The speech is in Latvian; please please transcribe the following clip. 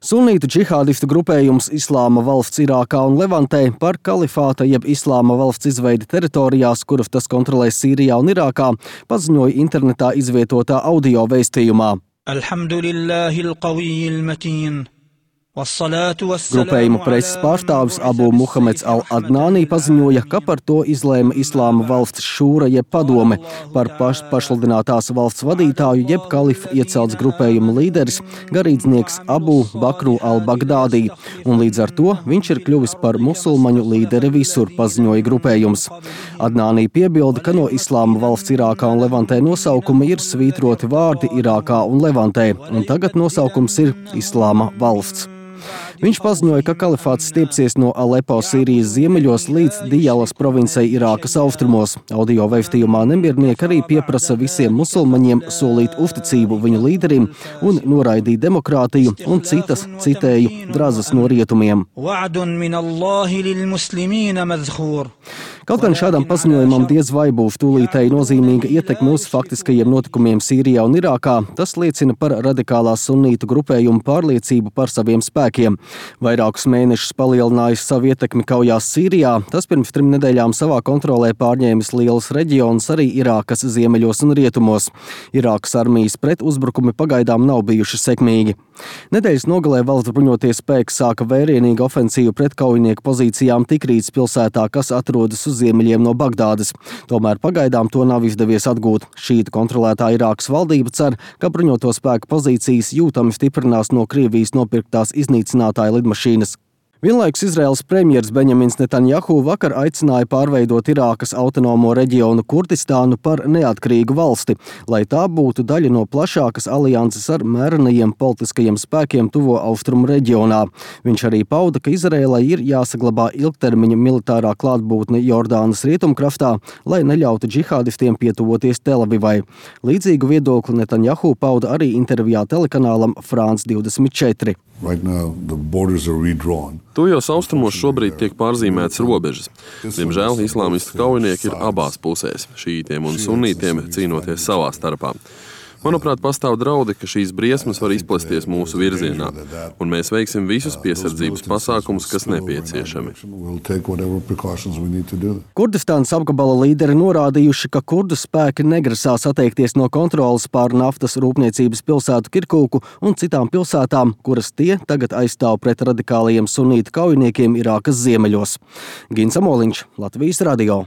Sunītu džihādistu grupējums Islāma valsts Irākā un Levantē par kalifāta jeb Islāma valsts izveidi teritorijās, kuras tas kontrolē Sīrijā un Irākā, paziņoja internetā izvietotā audio vēstījumā. Alhamdulillahil qawiyyil matīn. Grupējuma preses pārstāvis Abu Muhameds al-Adnānī paziņoja, ka par to izlēma Islāma valsts šūra jeb padome par pašsludinātās valsts vadītāju jeb kalifu iecelts grupējuma līderis, garīdznieks Abu Bakru al-Bagdādī, un līdz ar to viņš ir kļuvis par musulmaņu līderi visur, paziņoja grupējums. Adnānī piebilda, ka no Islāma valsts Irākā un Levantē nosaukuma ir svītroti vārdi Irākā un Levantē, un tagad nosaukums ir Islāma valsts. Viņš paziņoja, ka kalifāts stiepsies no Alepo Sīrijas ziemeļos līdz Dijalas provincei Irākas austrumos. Audio vēstījumā nemiernieki arī pieprasa visiem musulmaņiem solīt uzticību viņu līderim un noraidīt demokrātiju un citas, citēju, drazas no rietumiem. Kaut gan šādam paziņojumam diez vai būs tūlītēji nozīmīga ietekme uz faktiskajiem notikumiem Sīrijā un Irākā, tas liecina par radikālās sunītu grupējumu pārliecību par saviem spēkiem. Vairākus mēnešus palielinājis savu ietekmi kaujās Sīrijā, tas pirms 3 nedēļām savā kontrolē pārņēmis lielus reģionus arī Irākas ziemeļos un rietumos. Irākas armijas pretuzbrukumi pagaidām nav bijuši sekmīgi. Nedēļas nogalē valsts bruņotie spēki sāka vērienīgu ofensīvu pret kaujinieku pozīcijām Tikrītas pilsētā, kas atrodas uz ziemeļiem no Bagdādas. Tomēr pagaidām to nav izdevies atgūt. Šītu kontrolētā Irākas valdība cer, ka bruņoto spēku pozīcijas jūtami stiprinās no Krievijas nopirktās iznīcinātāja lidmašīnas. Vienlaikus Izraēlas premjers Benjamins Netanjahu vakar aicināja pārveidot Irākas autonomo reģionu Kurdistānu par neatkarīgu valsti, lai tā būtu daļa no plašākas alianses ar mērenajiem politiskajiem spēkiem tuvo austrumu reģionā. Viņš arī pauda, ka Izraēlai ir jāsaglabā ilgtermiņa militārā klātbūtne Jordānas rietumkrastā, lai neļautu džihādistiem pietuvoties Telavivai. Līdzīgu viedokli Netanjahu pauda arī intervijā telekanālam France 24. Right now, the borders are redrawn. Tuvajos austrumos šobrīd tiek pārzīmētas robežas. Diemžēl islāmistu kaujinieki ir abās pusēs, šītiem un sunītiem cīnoties savā starpā. Manuprāt, pastāv draudi, ka šīs briesmas var izplesties mūsu virzienā, un mēs veiksim visus piesardzības pasākumus, kas nepieciešami. Kurdistānas apgabala līderi norādījuši, ka kurdu spēki negrasās atteikties no kontrolas pār naftas rūpniecības pilsētu Kirkuku un citām pilsētām, kuras tie tagad aizstāv pret radikālajiem sunītu kaujiniekiem Irākas ziemeļos. Gins Amoliņš, Latvijas radio.